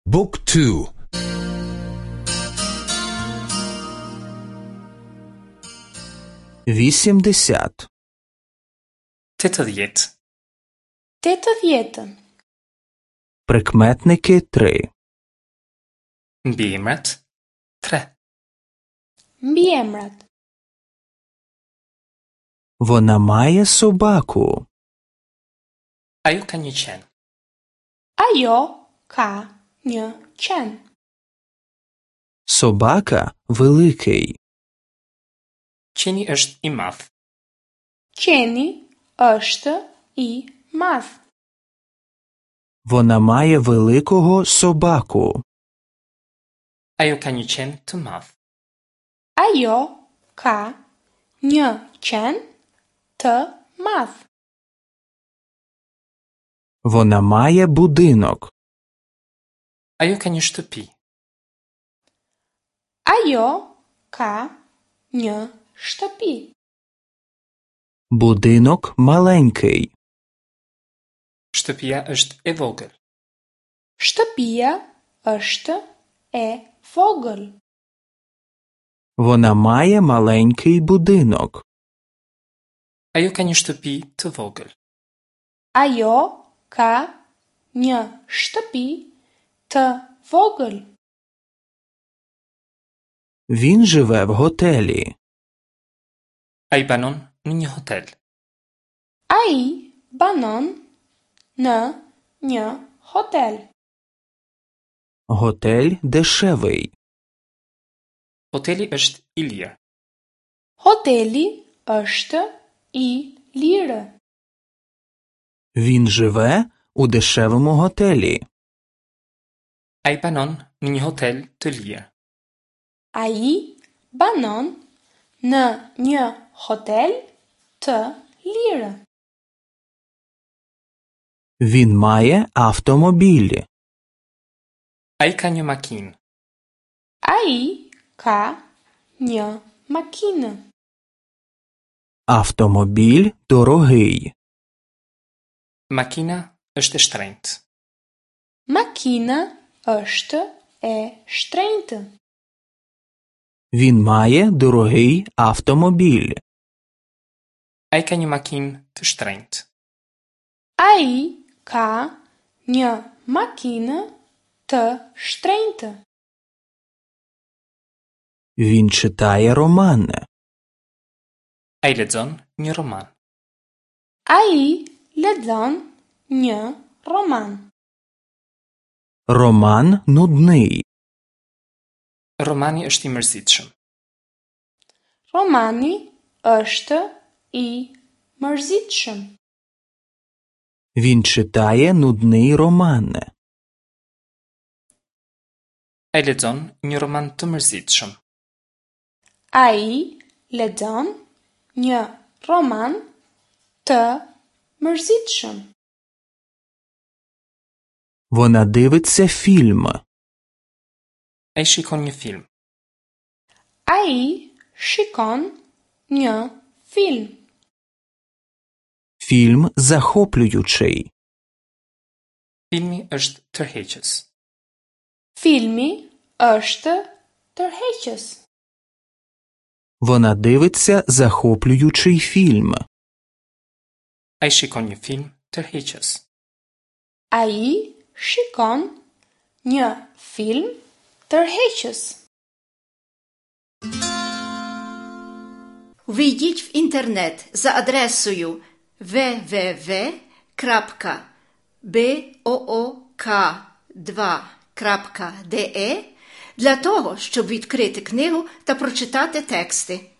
Book 2 80. 80. 80. Прикметники 3. Mbiemrat 3. Mbiemrat. Вона має собаку. Ajo ka një qen. Ajo ka një qen. Собака великий. Qeni është i madh. Qeni është i madh. Вона має великого собаку. Ajo ka një qen të madh. Ajo ka një qen të madh. Вона має будинок. Ajo ka një shtëpi. Ajo ka një shtëpi. Будинок маленький. Shtëpia është e vogël. Shtëpia është e vogël. Вона має маленький будинок. Ajo ka një shtëpi të vogël. Ajo ka një shtëpi të vogël. Він живе в готелі. Ai banon në një hotel. Ai banon në një hotel. Готель дешевий. Hoteli është i lirë. Hoteli është i lirë. Він живе у дешевому готелі. Ai banon në një hotel të lirë. Ai banon në një hotel të lirë. Він має автомобіль. Ai ka një makinë. Ai ka një makinë. Автомобіль дорогий. Makina është e shtrenjtë. Makina është e shtrenjtë. Він має дорогий автомобіль. Ai ka një makinë të shtrenjtë. Ai ka një makinë të shtrenjtë. Він читає роман. Ai lexon një roman. Ai lexon një roman. Роман нудний. Romani është i mërzitshëm. Romani është i mërzitshëm. Він читає нудний роман. Ai lexon një roman të mërzitshëm. Ai lexon një roman të mërzitshëm. Вона дивиться фільм. Ai shikon një film. Ai shikon një film. Фільм захоплюючий. Filmi është tërheqës. Filmi është tërheqës. Вона дивиться захоплюючий фільм. Ai shikon një film tërheqës. Ai shikon një film tërheqës. Ввійдіть в інтернет за адресою www.book2.de для того, щоб відкрити книгу та прочитати тексти.